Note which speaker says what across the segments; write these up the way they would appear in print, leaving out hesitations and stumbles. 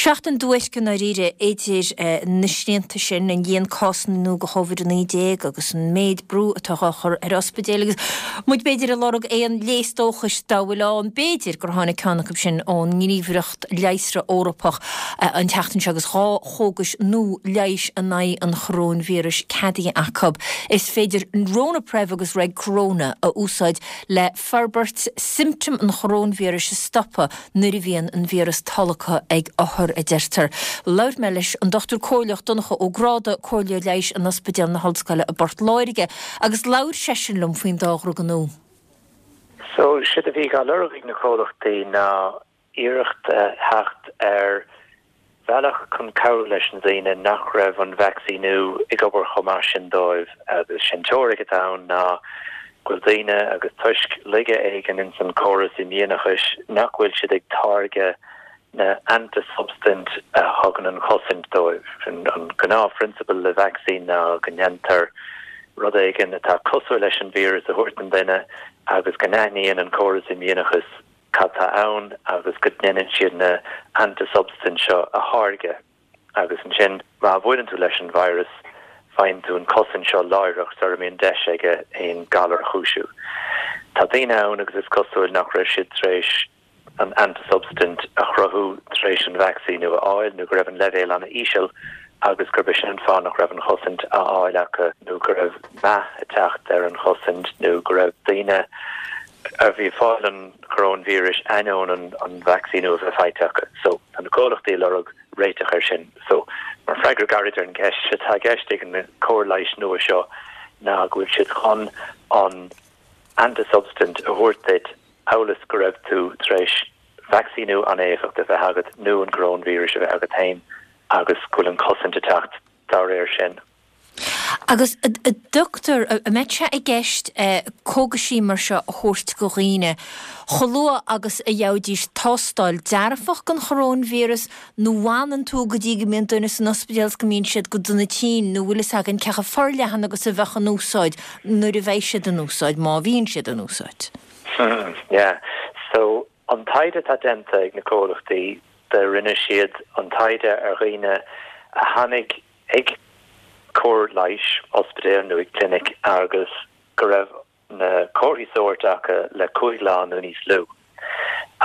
Speaker 1: Seachtain duairc i ndáiríre idir na srianta sin, an líon cásanna nua de Chóvid-19 agus an méid brú atá á chur ar ospidéil agus muid b'fhéidir ag lorg aon léas dóchais dá bhfuil ann. B'fhéidir gur tháinig ceann acu sin ón nGníomhaireacht Leigheasra Eorpach an tseachtain seo agus 2 chógais nua leighis in aghaidh an choróinvíris ceadaithe acu. Is féidir Ronapreve agus Regcorona a úsáid le forbairt siomptóim an choróinvíris a stopadh nuair a bhíonn an víreas tolgtha ag othar, a deirtear. Labhair mé leis an Dr Comhairleach Donncha Ó Gráda, Comhairleoir Leighis in Ospidéal na hOllscoile i bPort Láirge, agus labhair seisean liom faoin dá dhruga nua.
Speaker 2: So, séard a bhí á lorg ag na comhlachtaí ná iarracht a theacht ar bhealach chun cabhrú leis na daoine nach raibh an vacsaíniú ag obair chomh maith sin dóibh agus sé'n teoiric atá ann ná go bhfuil daoine agus toisc laige éigin ins an córas imdhíonachais nach bhfuil siad ag táirgeadh na antasubstaint a thugann an chosaint dóibh. An gnáthphrionsabal le vacsaín ná go ndéantar rud éigin atá cosúil leis an víreas a thabhairt don duine agus go n-aithníonn an córas imdhíonachais cad tá ann agus go ndéanann siad na antasubstaint seo a tháirgeadh agus ansin má bhuaileann tú leis an virus faigheann tú an cosaint seo láithreach sara mbíonn deis aige aon galar a chúisiú. Tá daoine ann agus is cosúil nach raibh siad tar éis an antasubstaint a chruthú tar éis an vacsaíniú a fháil nó go raibh an leibhéal an-íseal agus gurb é sin an fáth nach raibh an chosaint á fháil acu nó go raibh meath ag teacht ar an chosaint nó go raibh daoine a bhí ag fáil an choróinvíris ainneoin an vacsaíniú a bheith faighte acu. So, tá na comhlachtaí ag lorg réiteach air sin. So, mar freagra gairid ar an gceist, sé atá i gceist ag an cóir leighis nua seo ná go bhfuil siad chun an antasubstaint a thabhairt duit amhail is go raibh tú tar éis vacsaíniú an-éifeachtach a bheith agat nó an coróinvíreas a bheith agat féin agus go bhfuil an chosaint ag teacht dá réir sin.
Speaker 1: Agus a dhochtúir, an mbeidh sé i gceist cógaisí mar seo a thabhairt go dhaoine chomh luath agus a gheobhaidís tástáil dearfach don choróinvíreas nó bhfanann tú go dtí go mbíonn duine san ospidéal is go mbíonn siad go dona tinn nó bhfuil fhios againn cé chomh forleathan agus a bheadh an úsáid nuair a bheidh siad in úsáid, má bhíonn siad in úsáid?
Speaker 2: Yeah. So, an taighde atá déanta ag na comhlachtaí, do rinne siad an taighde ar dhaoine a tháinig ag cóir leighis, ospidéal nó ag clinic agus go raibh na comharthaí sóirt acu le 5 lá nó níos lú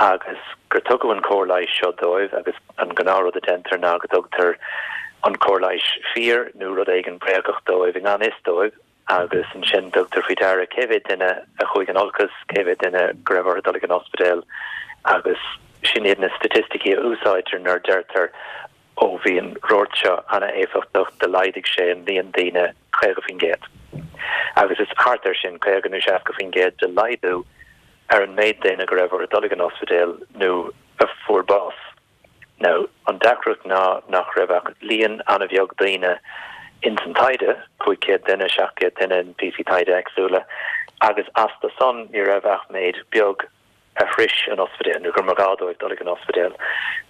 Speaker 2: agus gur tugadh an cóir leighis seo dóibh agus an gnáthrud a deintear ná go dtugtar an cóir leighis fíor nó rud éigin bréagach dóibh i ngan fhios dóibh agus ansin tugtar faoi deara cé mhéad duine a chuaigh in olcas, cé mhéad duine go raibh orthu dul ag an ospidéal agus sin iad na staitisticí a úsáidtear nuair a deirtear ó bhí an rud seo an-éifeachtach do laghdaigh sé an líon daoine 50%. Agus is thart ar sin, 50 nó 60% de laghdú ar an méid daoine go raibh orthu dul ag an ospidéal nó a fuair bás. Now, an deacracht ná nach raibh ach líon an-bheag daoine ins an taighde, 500 duine, 700 duine in píosaí taighde éagsúla, agus astu san ní raibh ach méid beag a shrois an ospidéal nó gur mba ghá dóibh dul ag an ospidéal.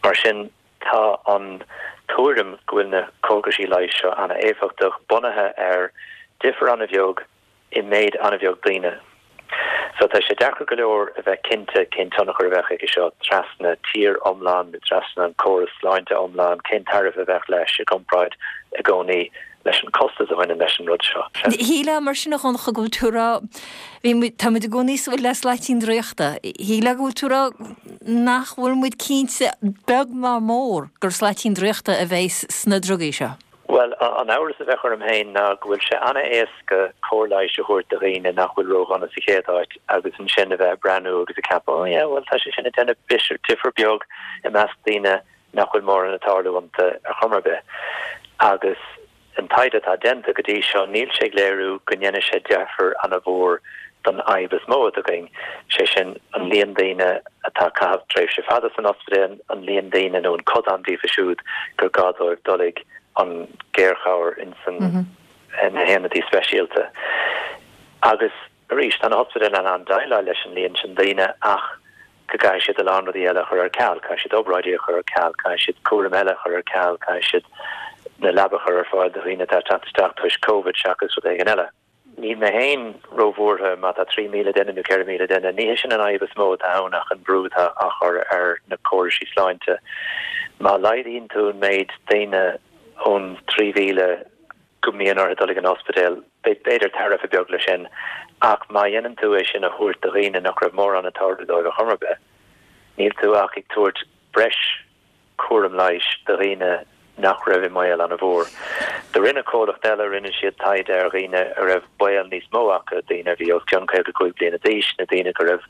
Speaker 2: Mar sin, tá an tuairim go bhfuil na cógaisí leighis seo an-éifeachtach bunaithe ar difear an-bheag i méid an-bheag daoine. So tá sé deacair go leor a bheith cinnte cén tionchar a bheadh aige seo trasna tír iomlán nó trasna an córas sláinte iomlán, cén tairbhe a bheadh leis i gcomparáid i gcónaí leis an costas a bhaineann leis an rud seo.
Speaker 1: Shílfeá mar sin a Dhonncha go bhfuil tú ag rá, bhí muid, tá muid i gcónaí ag súil le slaitín draíochta, shílfeá go bhfuil tú ag rá nach bhfuil muid cinnte beag ná mór gur slaitín draíochta a bheidh sna drugaí seo.
Speaker 2: Bhuel, an amhras a bheadh orm féin ná go bhfuil sé an-éasca cóir leighis a thabhairt do dhaoine nach bhfuil ródhona sa chéad áit agus ansin a bheith ag breathnú agus ag ceapadh, oh yeah, bhuel tá sé sin ag déanamh difear beag i measc daoine nach bhfuil mórán ag tarlú iontu ar chuma ar bith. Agus an taighde atá déanta go dtí seo, níl sé ag léiriú go ndéanfaidh sé deifir an-mhór don fhadhb is mó atá againn, sé sin an líon daoine atá ag caitheamh tréimhse fada san ospidéal, an líon daoine nó an codán díofa siúd gur gá dóibh dul ag an géarchabhair ins na haonaidí speisialta. Agus arís, tá na hospidéil in ann déileáil leis an líon sin daoine ach go gcaithfidh siad a lán rudaí eile a chur ar ceal, caithfidh siad obráidí a chur ar ceal, caithfidh siad cúram eile a chur ar ceal, caithfidh siad na leaba a chur ar fáil do dhaoine atá ag teacht isteach toisc Covid seachas rud éigin eile. Níl mé féin róbhuartha má tá 3,000 duine nó 4,000 duine. Ní hé sin an fhadhb is mó atá ann ach an brú atá á chur ar na córaisí sláinte. Má laghdaíonn tú an méid daoine ón 3,000 go mbíonn orthu dul ag an ospidéal, beidh b'fhéidir tairbhe beag leis sin, ach má dhéanann tú é sin a thabhairt do dhaoine nach raibh mórán ag tarlú dóibh ar chuma ar bith, níl tú ach ag tabhairt breis cúram leighis do dhaoine nach raibh i mbaol an-mhór. Do rinne comhlacht eile, rinne siad taighde ar dhaoine a raibh baol níos mó acu, daoine a bhí os cionn 55 bliana d'aois nó daoine go raibh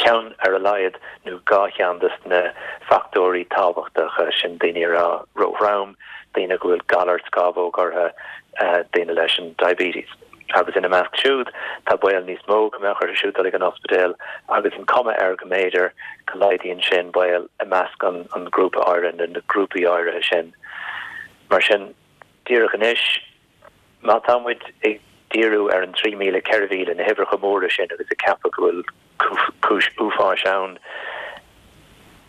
Speaker 2: ceann ar a laghad nó 2 cheann de na fachtóirí tábhachtacha sin, daoine a raibh ró-throm, daoine go bhfuil galar scamhóg orthu, daoine leis an diabetes. Agus ina measc siúd, tá baol níos mó go mbeadh orthu siúd dul ag an ospidéal agus an cuma air go mb'fhéidir go laghdaíonn sé an baol i measc an ghrúpa áirithe nó na grúpaí áirithe sin. Mar sin, díreach anois, Má tá muid ag díriú ar an 3,000, 4,000, na huimhreacha móra sin agus ag ceapadh go bhfuil cúis uafáis ann,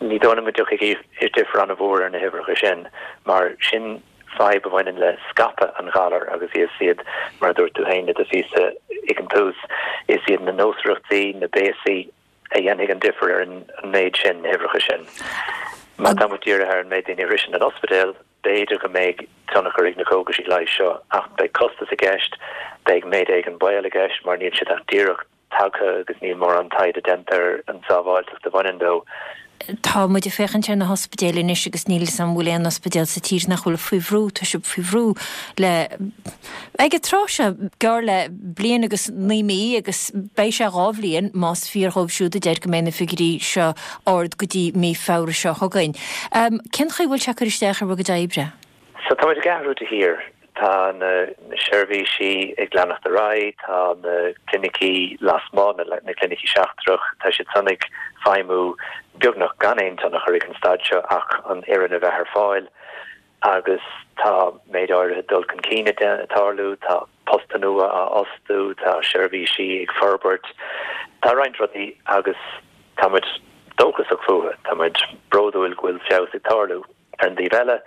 Speaker 2: ní dóigh liom go dtiocfaidh difear an-mhór ar na huimhreacha sin mar sin fadhb a bhaineann le scaipeadh an ghalair agus is iad, mar a dúirt tú féin i do phíosa ag an tús, is iad na nósmhaireachtaí, na béasaí a dhéanfaidh an difear ar an méid sin, na huimhreacha sin. Má tá muid dírithe ar an méid daoine a shroiseann an ospidéal, B'fhéidir go mbeidh tionchar ag na cógaisí leighis seo ach beidh costas i gceist, beidh méid éigin baol i gceist mar níl siad ach díreach tagtha agus níl mórán taighde déanta ar an tsábháilteacht a bhaineann leo.
Speaker 1: Tá muid ag féachaint ar na hospidéil anois agus níl 'fhios a'm an bhfuil aon ospidéal sa tír nach bhfuil faoi bhrú, tá siad faoi bhrú le, ag an tráth seo, gearr le bliain agus 9 mí agus beidh sé 2 bhliain más fíor dhóibh siúd a deir go mbeidh na figiúirí seo ard go dtí mí Feabhra seo chugainn. Cén chaoi a bhfuil sé ag cur isteach ar bhur gcuid oibre?
Speaker 2: So tá muid ag athrú de shíor. Tá na seirbhísí ag leanacht ar aghaidh, tá na clinicí lasmuigh, na clinicí seachtrach, tá siad san ag feidhmiú beagnach gan aon tionchar ag an staid seo ach an fhoireann a bheith ar fáil. agus tá méid áirithe dul chun cinn ag tarlú, tá postanna nua á fhostú, tá seirbhísí ag forbairt, tá roinnt rudaí agus tá muid dóchasach fúthu, tá muid bródúil go bhfuil feabhas ag tarlú. Ar an dtaobh eile,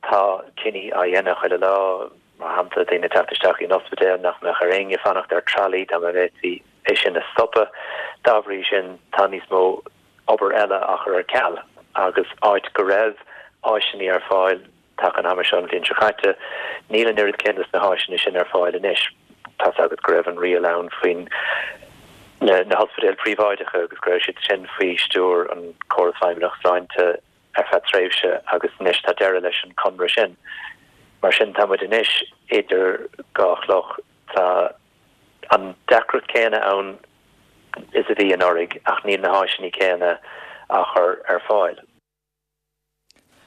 Speaker 2: tá cinní á dhéanamh chuile lá, mar shampla, daoine ag teacht isteach in ospidéal nach mbeadh ar éinne fanacht ar tralaí dá mba bhféadfaí é sin a stopadh. Dá bhrí sin, tá níos mó obair eile á chur ar ceal agus áit go raibh áiseanna ar fáil taca an ama seo an bhliain seo caite, níl an oiread céanna de na háiseanna sin ar fáil anois. Tá's agat go raibh an riail ann faoin na hospidéil phríobháideacha agus go raibh siad sin faoi stiúir an Córas Feidhmeannacht Sláinte ar feadh tréimhse agus anois tá deireadh leis an conradh sin. Mar sin tá muid anois idir dhá chloch. Tá an deacracht céanna ann is a bhí anuraidh ach níl na háiseanna céanna á chur ar fáil.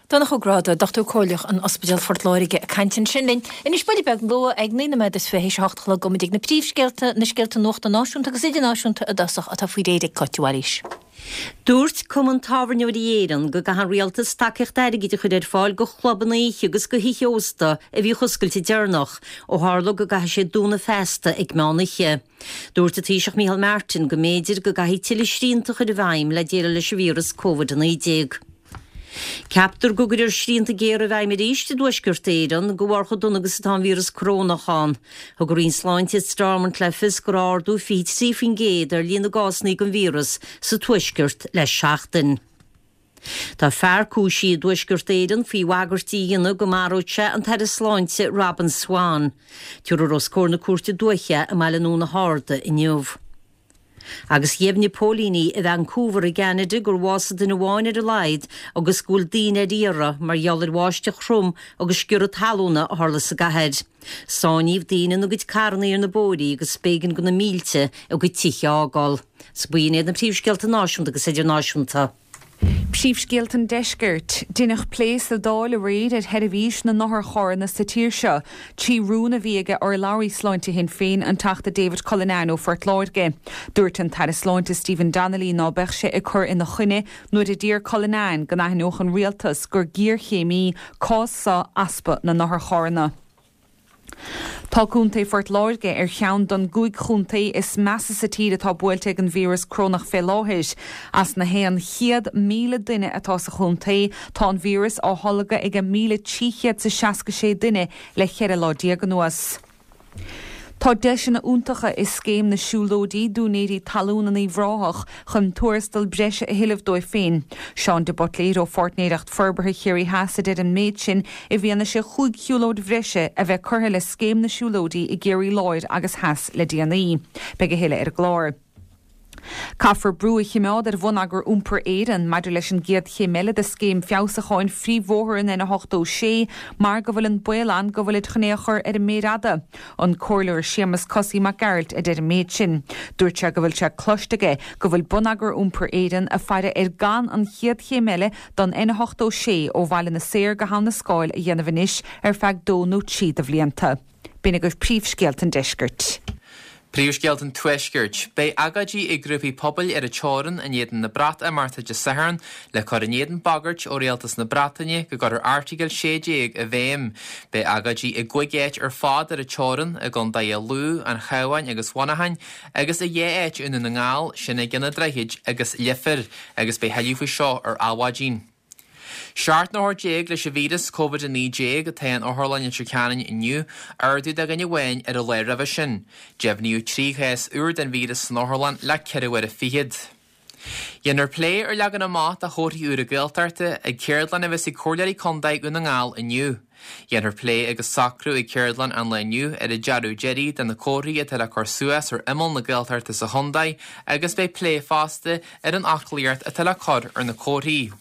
Speaker 1: Donncha Ó Gráda, Dochtúir Comhairleach in Ospidéal Phort Láirge ag caint ansin linn. Anois buille beag luath ag 9 nóiméad is 20 théis a 8 a chlog gabhfaidh muid ag na príomhscéalta, na scéalta nuachta náisiúnta agus idirnáisiúnta i dtosach atá faoi réir ag Cáit de Bhailís.
Speaker 3: Dúirt Cumann Tábhairneoirí Éireann go gcaithfidh an Rialtas tacaíocht airgid a chur ar fáil go chlubanna oíche agus go thithe ósta a bhíodh oscailte deireanach, ó tharla go gcaithfidh siad dúnadh feasta ag meán oíche. Dúirt an Taoiseach Micheál Martin go mb'fhéidir go gcaithfí tuilleadh srianta a chur i bhfeidhm le déileáil leis an víreas Covid-19. Ceaptar go gcuirfear srianta géara i bhfeidhm arís i dTuaisceart Éireann de bharr chomh dona agus atá an víreas corónach ann. Thug an Roinn Sláinte i Stormont le fios go raibh ardú 23% ar líon na gcásanna den víreas sa Tuaisceart le seachtain. Tá fear cúisithe i dTuaisceart Éireann faoi bhagairtí a dhéanamh go maródh sé an tAire Sláinte Robin Swann. Tabharfar os comhair na Cúirte Dúiche i mBaile an Dúna hArda inniu. Agus dheimhnigh póilíní i Vancouver i gCeanada gur bhásaigh duine amháin ar a laghad agus go bhfuil daoine ar iarraidh mar gheall ar bháisteach throm agus sciorradh talúna a tharla sa gcathair. Sáinníodh daoine ina gcuid carranna ar na bóithrí agus b'éigean do na mílte a gcuid tithe a fhágáil. 'S b'in iad na príomhscéalta náisiúnta agus idirnáisiúnta.
Speaker 4: Príomhscéalta an Deiscirt. Deineadh plé sa Dáil aréir ar sheirbhís na n-otharcharranna sa tír seo, 3 rún a bhí aige urlabhraí sláinte Shinn Féin, an Teachta David Cullinane ó Phort Láirge. Dúirt an tAire Sláinte Stephen Donnelly ná beadh sé ag cur ina choinne nuair a d'iarr Cullinane go n-aithneodh an Rialtas gur géarchéim í cás seo easpa na n-otharcharranna. Tá Contae Phort Láirge ar cheann don gcúig chontae is measa sa tír atá buailte ag an víreas corónach fé láthair. As na 100,000 duine atá sa chontae, tá an víreas á tholgadh ag 1,366 duine le 14 lá anuas. Tá deiseanna iontacha i Scéim na Siúlóidí d'úinéirí talún in Uíbh Ráthach chun tuarastal breise a thuilleamh dóibh féin. Seán de Buitléir ó Pháirtnéireacht Forbartha Chiarraí Theas a deir an méid sin i bhfianaise chúig shiúlóid bhreise a bheith curtha le Scéim na Siúlóidí i gCiarraí Láir agus Theas le déanaí. Beidh a thuilleadh ar an gclár. Caithfear brú a chimeád ar Bhonneagar Iompair Éireann maidir leis an gcéad chéim eile de scéim feabhsúcháin phríomhbhóthar an N86 mar go bhfuil an baol ann go bhfuilid chun é a chur ar an méar fhada. An Comhairleoir Séamus 'Cosaí' Mac Gearailt a deir an méid sin. Dúirt sé go bhfuil sé cloiste aige go bhfuil Bonneagar Iompair Éireann ag faire ar gan an chéad chéim eile don N86 ó Bhaile na Saor go hAbha na Scáil a dhéanamh anois ar feadh dó nó trí de bhlianta. B'in agaibh príomhscéalta an deiscirt.
Speaker 5: Príomhscéalta an Tuaiscirt. Beidh agóidí ag grúpaí pobail ar an teorainn in éadan na Breatimeachta Dé Sathairn le cur in éadan bagairt ó Rialtas na Breataine go gcuirfear Airteagal 16 i bhfeidhm. Beidh agóidí i gcúig áit ar fad ar an teorainn, i gcontaetha Lú, an Chabháin agus Mhuineacháin, agus i dhá áit i nDún na nGall, sin ag an Droichid agus Leifear, agus beidh thuilleadh faoi seo ar Adhmhaidin. 17 n-othar leis an víreas Covid-19 atá in Otharlann Leitir Ceanainn inniu, ardú de dhuine amháin ar an lá roimhe sin. Deimhníodh 3 chás úr den víreas san otharlann le ceithre huaire fichead. Dhéanfar plé ar leagan amach de chomharthaí úra Gaeltachta ag ceardlann a bheas ag Comhairleoirí Contae Dhún na nGall inniu. Dhéanfar plé agus socrú ag ceardlann an lae inniu ar an dearadh deiridh de na comharthaí atá le cur suas ar imeall na Gaeltachta sa chontae agus beidh plé fosta ar an fhoclaíocht atá le cur ar na comharthaí.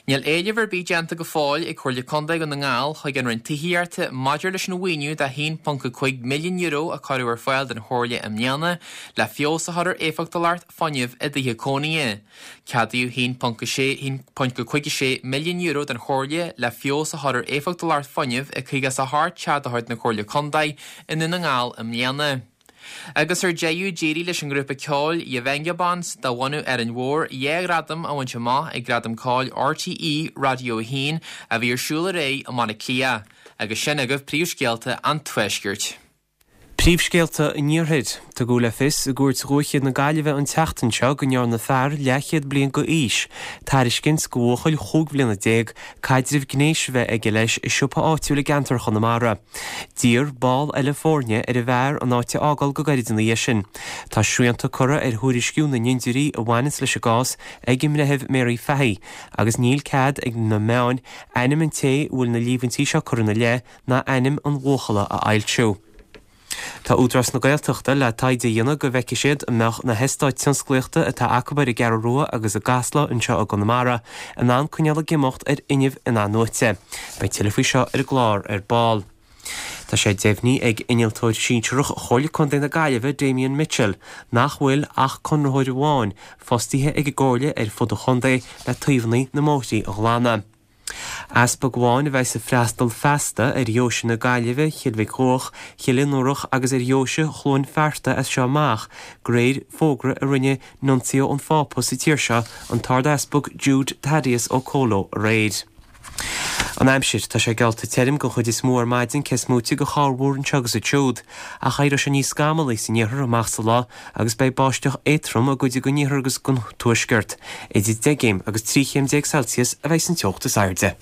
Speaker 5: Níl éileamh ar bith déanta go fóill ag Comhairle Contae Dhún na nGall chuig an Roinn Tithíochta maidir leis an mhaoiniú de €1.5 milliún a cuireadh ar fáil don Chomhairle i mbliana le feabhas a chur ar éifeachtúlacht fuinnimh i dtithe cónaithe. Ceadaíodh €1.56 milliún don Chomhairle le feabhas a chur ar éifeachtúlacht fuinnimh i 58 teach de chuid na Comhairle Contae i nDún na nGall i mbliana. Agus ar deireadh, d'éirigh leis an ngrúpa ceoil The Vengabonds de bhunadh Árainn Mhór dhá ghradam a bhaint amach ag Gradaim Ceoil RTÉ Radio 1 a bhí ar siúl aréir i mBaile Átha Cliath. Agus sin agaibh príomhscéalta an Tuaiscirt.
Speaker 6: Príomhscéalta an Iarthair. Tugadh le fios i gCúirt Dhúiche na Gaillimhe an tseachtain seo go ndearna fear leathchéad bliain d'aois tairiscint do bhuachaill chúig bhliana déag caidreamh gnéis a bheith aige leis i siopa áitiúil i gceantar Chonamara. D'iarr ball eile foirne ar an bhfear an áit a fhágáil go gairid ina dhiaidh sin. Tá srianta curtha ar thuairisciú na n-imdírí a bhaineanns leis an gcás ag an mBreitheamh Mary Fahy agus níl cead ag na meáin ainm an té a bhfuil na líomhaintí seo curtha ina leith ná ainm an bhuachalla a fhoilsiú. Tá Údarás na Gaeltachta le taighde a dhéanamh go bhfeicfidh siad an mbeadh na heastáit tionsclaíochta atá acu ar an gCeathrú Rua agus i gCasla anseo i gConamara in ann coinneáil ag imeacht ar fhuinneamh in-athnuaite. Beidh tuilleadh faoi seo ar an gclár ar ball. Tá sé deimhnithe ag Innealtóir Sinsearach Chomhairle Contae na Gaillimhe, Damien Mitchell, nach bhfuil ach conraitheoir amháin fostaithe ag an gComhairle ar fud an chontae le taobhanna na mbóithrí a ghlanadh. Easpag amháin a bheas ag freastal feasta ar Dheoise na Gaillimhe, Chill Mhic Dhuach, Chill Fhionnúrach agus ar Dheoise Chluain Fearta as seo amach, de réir fógra a rinne Nuncio an Phápa sa tír seo, an tArd-Easpag Jude Thaddeus Okolo aréir. An aimsir, Tá sé geallta tirim den chuid is mó ar maidin, cé is móite de chorrmhúr anseo agus ansiúd. Ach éireoidh sé níos scamallaí san iarthar amach sa lá agus beidh báisteach éadtrom i gcuid den iarthar agus den tuaisceart. Idir 10 gcéim agus 13 chéim Celsius a bheidh san teocht is airde.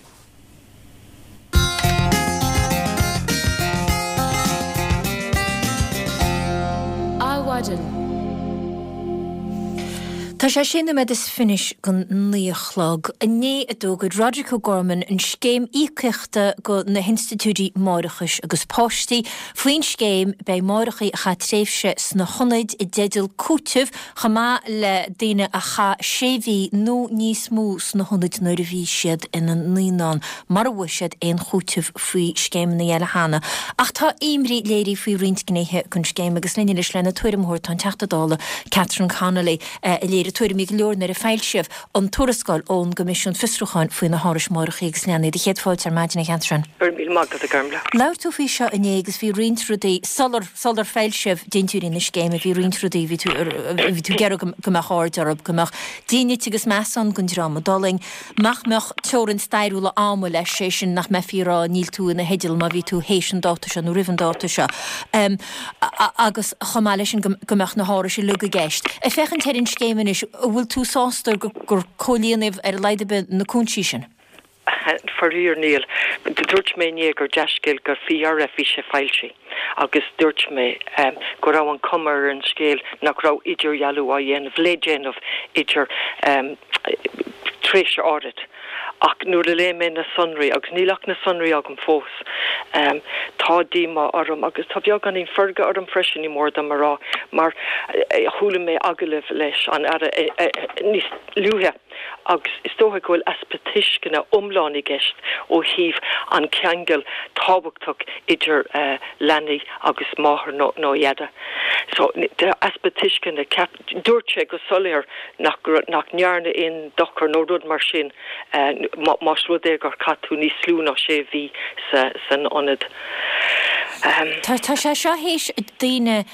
Speaker 1: Adhmhaidin. Tá sé sé nóiméad is fiche don naoi a chlog. Inné a d'fhógair Roderic O'Gorman an scéim íocaíochta go na hinstitiúidí máithreachais agus páistí. Faoin scéim, beidh máithreacha a chaith tréimhse sna hionaid i dteideal cúitimh chomh maith le daoine a chaith sé mhí nó níos mó sna hionaid nuair a bhí siad ina naíonán, mura bhfuair siad aon chúiteamh faoi scéimeanna eile cheana. Ach tá imní léirithe faoi roinnt gnéithe den scéim agus linn anois lena tuairim a thabhairt tá an Teachta Dála Catherine Connolly a léirigh tuairimí go leor nuair a foilsíodh an tuarascáil ón gCoimisiún Fiosrúcháin faoi na hárais máithreacha agus leanaí. Do chéad fáilte ar maidin, a Chatherine.
Speaker 7: Go raibh míle maith agat, a Gormlaith.
Speaker 1: Labhair tú faoi seo inné agus bhí roinnt rudaí, sular, sular foilsíodh dintiúirí na scéime, bhí roinnt rudaí, bhí tú, bhí tú ag iarraidh go, go mbeadh aird orthu, go mbeadh dínit agus meas ann don dream a d'fhulaing, nach mbeadh teorainn stairiúil ama leis, sé sin nach mbeifí ag rá níl tú ina theideal má bhí tú théis an dáta seo nó roimh an dáta seo. Agus chomh maith leis sin go, go mbeadh na hárais uilig i gceist. Ag féachaint ar an scéim anois, an bhfuil tú sásta gur, gur comhlíonadh ar a laghad ar bith na cúinsí sin?
Speaker 7: Faraor níl. Dúirt mé inné gur dea-scéal gur faoi dheireadh bhí sé foilsithe. Agus dúirt mé go raibh an cuma ar an scéal nach raibh idirdhealú á dhéanamh, le déanamh idir tréimhse áirid. Ach nuair a léigh mé na sonraí, agus níl ach na sonraí agam fós, tá díomá orm agus tá beagáinín feirge orm freisin, ní mór dom a rá, mar chuala mé agallamh leis an Aire níos luaithe agus is dócha go bhfuil easpa tuisceana iomlán i gceist ó thaobh an ceangal tábhachtach idir leanaí agus máthair nó dheaide. So, easpa tuisceana, ceap. Dúirt sé go soiléir nach nach ndearnadh aon dochar nó rud mar sin más rud é gur chaith tú níos lú ná sé mhí san ionad.
Speaker 1: Tá sé seo théis daoine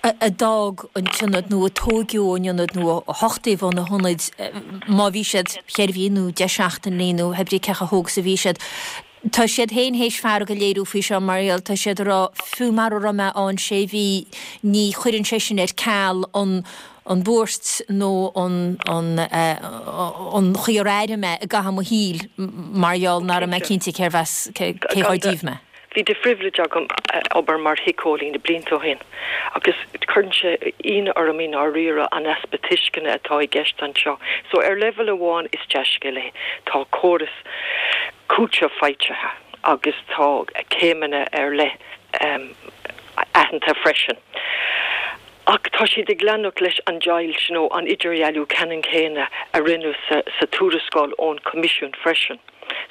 Speaker 1: a d'fhág an t-ionad nó a tóigeadh ón ionad nó a huchtaíodh ó na hionaid má bhí siad cheithre mhí nó 10 seachtainí nó hé brí cé chomh hóg is a bhí siad. Tá siad féin théis fearg a léiriú faoi seo mar gheall, tá siad ag rá, fiú mara raibh mé ann sé mhí, ní chuireann sé sin ar ceal an an bhuairt nó an an an chaoi ar airigh mé i gcaitheamh mo shaoil mar gheall nach raibh mé cinnte cérbh as, cé chomh díobh mé.
Speaker 7: Bhí de phribhléid agam obair mar shíceolaí na blianta ó shin agus cuireann sé ionadh orm i ndáiríre an easpa tuisceana atá i gceist anseo. So ar leibhéal amháin is dea-scéal é, tá córas cúiteamh faighte agus tá céimeanna ar leith aitheanta freisin. Ach tá siad ag leanacht leis an deighilt nó an idirdhealú ceannann céanna a rinneadh sa tuarascáil ón Choimisiún freisin.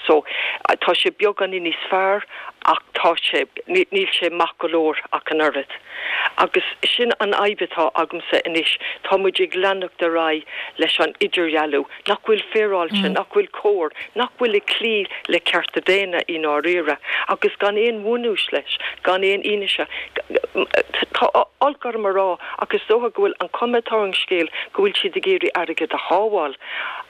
Speaker 7: So, tá sé beagáinín níos fearr ach tá sé, níl sé maith go leor ach an oiread. Agus sin an fhadhb atá agamsa anois, tá muid ag leanacht ar aghaidh leis an idirdhealú nach bhfuil féaráilte, nach bhfuil cóir, nach bhfuil ag cloí le cearta daonna i ndáiríre, agus gan aon bhunús leis, gan aon fhianaise. Tá olc orm a rá ach is dócha go bhfuil an chuma atá ar an scéal go bhfuil siad ag iarraidh airgead a shábháil.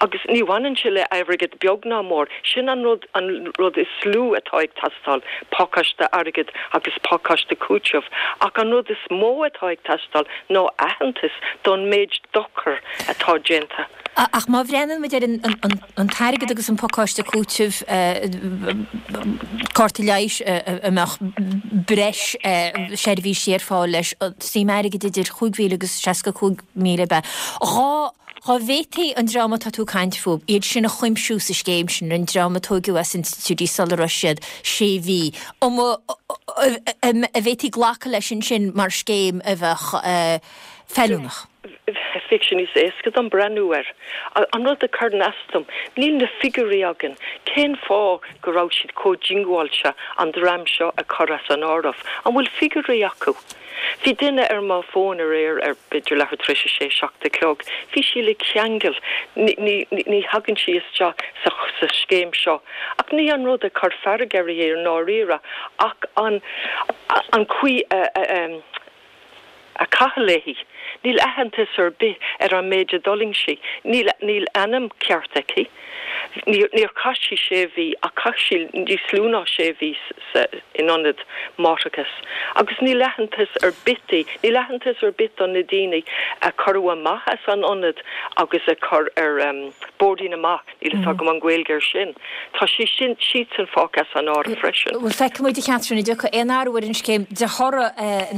Speaker 7: Agus ní bhaineann sé le airgead beag ná mór, sin an rud, an rud is lú atá ag teastáil, pacáiste airgid agus pacáiste cúitimh. Ach an rud is mó atá ag teastáil ná aitheantas don méid dochair atá déanta.
Speaker 1: Ach má bhreathnaíonn muid ar an t-airgead agus an pacáiste cúitimh, cárta leighis a mbeadh breis seirbhísí ar fáil leis, suim airgid idir 5,000 agus 65,000 ab ea? Dhá bhféadfaí an dream atá tú ag caint fúthu, iad sin a chuimsiú sa scéim sin, an dream a tóigeadh as institiúidí sula raibh siad sé mhí, an bhféadfaí glacadh leis ansin mar scéim a bheadh feiliúnach?
Speaker 7: Bheadh sé níos éasca dom breathnú air. An rud a chuireann as dom, níl na figiúirí againn. Cén fáth go raibh siad chomh diongbháilte an dream seo a chur as an áireamh? An bhfuil figiúirí acu? Bhí duine ar mo fón aréir ar b'fhéidir leathuair tar éis a sé, 7 a chlog. Bhí sí le ceangal. Ní, ní, ní thagann sí isteach sa, sa scéim seo. Ach ní an rud a chuir fearg uirthi i ndáiríre ach an, an chaoi a, a, a caitheadh léi. Níl aitheantas ar bith ar an méid a d'fhulaing sí. Níl, níl ainm ceart aici. Níor chaith sí sé mhí ach chaith sí níos lú ná sé mhí sa in ionad máithreachais. Agus níl aitheantas ar bith di, níl aitheantas ar bith do na daoine a cuireadh amach as an ionad agus a chur ar boirdín amach, níl fhios agam an Ghaeilge air sin. Tá sí sin, siadsan fágtha as an áireamh freisin.
Speaker 1: Bhuel, feicfidh muid, a Chatherine, an dtiocfaidh aon athrú ar an scéim de thoradh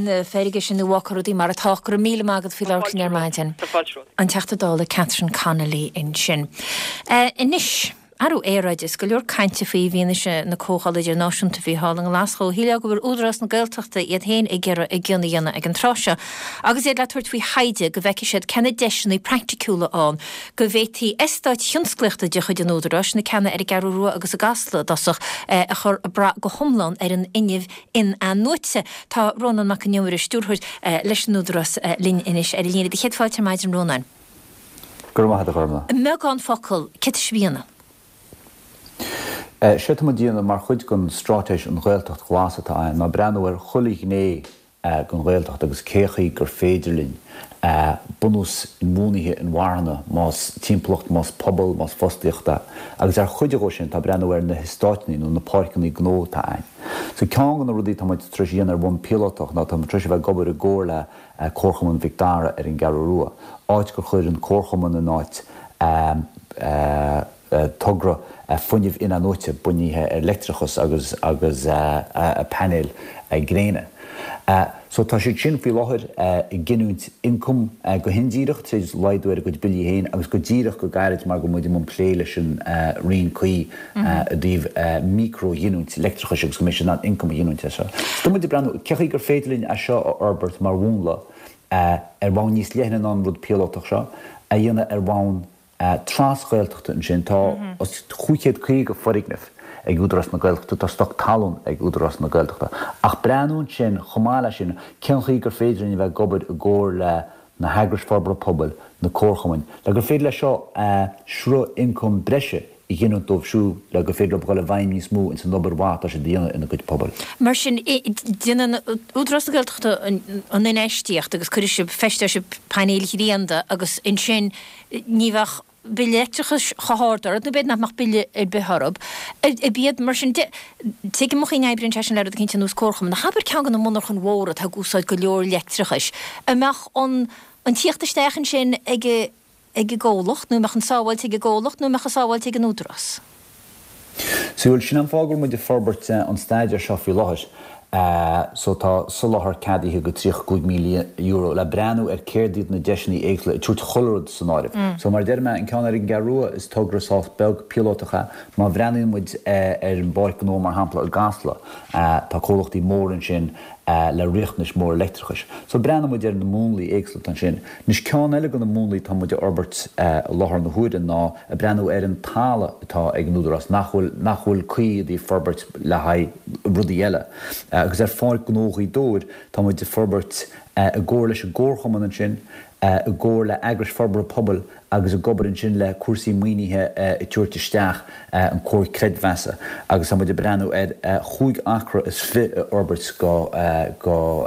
Speaker 1: na feirge sin nó an bhfágfar rudaí mar atá. Go raibh míle maith agat faoi labhairt linn ar maidin.
Speaker 7: Tá fáilte romhat.
Speaker 1: An Teachta Dála Catherine Connolly ansin. Anois, athrú aeráide, is go leor cainte faoi i bhfianaise na comhdhála idirnáisiúnta a bhí thall i nGlaschú. Shílfeá go bhfuil Údarás na Gaeltachta iad féin ag iarraidh a gcion a dhéanamh ag an tráth seo agus iad le tabhairt faoi thaighde go bhfeicfidh siad cé na deiseanna praiticiúla ann go bhféadfaí eastáit thionsclaíochta de chuid an Údaráis, na ceanna ar an gCeathrú Rua agus i gCasla i dtosach, a chur ag brath go hiomlán ar an fhuinneamh in-athnuaite. Tá Rónán Mac Con Iomaire, Stiúrthóir leis an Údarás, linn anois ar an líne. Do chéad fáilte ar maidin, Rónáin.
Speaker 8: Go raibh maith agat, a Ghormfhlaith.
Speaker 1: I mbeagán focal, céard atá sibh a dhéanamh?
Speaker 8: Séard tá muid a dhéanamh mar chuid den straitéis An Ghaeltacht Ghlas atá againn ná breathnú ar chuile ghné den Ghaeltacht agus cé chaoi gur féidir linn bunús inbhuanaithe inmharthana, más timpeallacht, más pobal, más fostaíocht é. Agus ar chuid dhó sin tá breathnú ar na heastáiteanna nó na páirceanna gnó atá againn. So ceann de na rudaí atá muid tar éis a dhéanamh ar bhonn píolótach ná tá muid tar éis a bheith ag obair i gcomhar le Comharchumann Mhic Dara ar an gCeathrú Rua, áit gur chuir an Comharchumann in áit togra fuinnimh in-athnuaite bunaithe ar leictreachas agus agus painéil gréine. So tá siad sin faoi láthair ag giniúint ioncam go hindíreach tríd laghdú ar a gcuid billí féin agus go díreach go gairid mar go bhfuil muid i mbun plé leis an roinn cuí i dtaobh micro-ghiniúint leictreachais agus go mbeidh siad in ann ioncam a ghiniúint as seo. So tá muid ag breathnú cé chaoi gur féidir linn é seo a fhorbairt mar mhúnla ar bhonn níos leithne ná an rud píolótach seo a dhéanamh ar bhonn tras-Ghaeltachta ansin. Tá os 550 foirgneamh ag Údarás na Gaeltachta, tá stoc talún ag Údarás na Gaeltachta. Ach breathnú ansin, chomh maith leis sin, cén chaoi gur féidir linn a bheith ag obair i gcomhar le na heagrais forbartha pobail, na comharchumainn, le gur féidir leis seo sruth ioncaim breise a ghiniúint dóibh siúd le gur féidir leo dhul i bhfeidhm níos mó ins an obair mhaith atá siad a dhéanamh ina gcuid pobail.
Speaker 1: Mar sin, déanann Údarás na Gaeltachta an infheistíocht agus cuirfidh sibh, feisteoidh sibh painéil ghrianda agus ansin ní bheadh bille leictreachais chomh hard orthu, nó b'fhéidir nach mbeadh bille ar bith orthu. Ab iad, mar sin de, tuigim an chaoi a n-oibríonn sé sin le rud eicínt ar nós comharchumann, ach abair ceann de na monarchain mhóra atá ag úsáid go leor leictreachais, an mbeadh an an tíocht isteach ansin ag ag an gcomhlacht, nó an mbeadh an sábháilt ag an gcomhlacht, nó an mbeadh an sábháilt ag an Údarás?
Speaker 8: Sea, bhuel, sin an fáth go bhfuil muid ag forbairt an staidéir seo faoi láthair. So tá soláthar ceadaithe go €35,000 le breathnú ar céard iad na deiseanna éagsúla, ag tabhairt chuile rud san áireamh. So mar a deir mé, an ceann ar an gCeathrú Rua, is togra sách beag píolótach é. Má bhreathnaíonn muid ar an bPáirc Ghnó mar shampla i gCasla, tá comhlachtaí móra ansin le riachtanais mhóra leictreachais. So breathnaíonn muid ar na múnlaí éagsúla atá ansin. Anois ceann eile de na múnlaí atá muid a fhorbairt i láthair na huaire ná ag breathnú ar an talamh atá ag an Údarás nach bhfuil, nach bhfuil cuí i dtaobh forbairt le haghaidh rudaí eile. Agus ar Pháirc Ghnó Ghaoth Dobhair tá muid ag forbairt i gcomhar leis an gComharchumann ansin, i gcomhar le eagrais forbartha pobail agus ag obair ansin le cúrsaí maoinithe ag tabhairt isteach an comhar creidmheasa agus tá muid ag breathnú ar chúig acra is fi a fhorbairt go, go.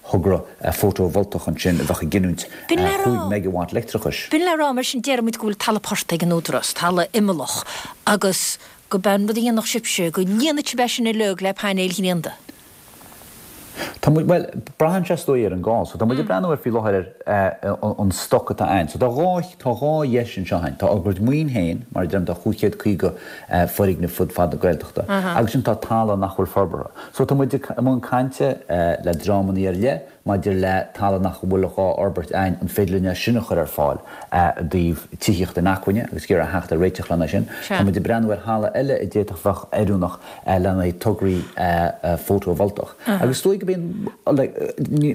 Speaker 8: thogra fótavoltach ansin a bheadh ag giniúint 5 meigeawatt leictreachais.
Speaker 1: B'in le rá, mar sin, déarfaidh muid go bhfuil talamh portaigh ag an Údarás, talamh imeallach, agus go b'é an rud a dhéanfadh sibhse, go líonfadh sibh é sin uilig le painéil ghrianda.
Speaker 8: Tá muid, bhuel, braitheann sé is dóigh ar an gcás. So tá muid ag breathnú air faoi láthair ar an stoc atá ann. So tá dhá, tá dhá dheis anseo againn. Tá ár gcuid maoin féin, mar a deirim, tá 550 foirgneamh fud fad na Gaeltachta, agus ansin tá talamh nach bhfuil forbartha. So tá muid i mbun cainte le dreamannaí ar leith maidir le talamh nach bhfuil dhá fhorbairt a'inn, an féidir linn é sin a chur ar fáil i dtaobh tithíocht inacmhainne agus ag iarraidh theacht ar réiteach lena sin. Tá muid ag breathnú ar thalamh eile a d'fhéadfadh bheadh oiriúnach lena haghaidh tograí fótavoltach. Agus is dóigh go mbíonn, like,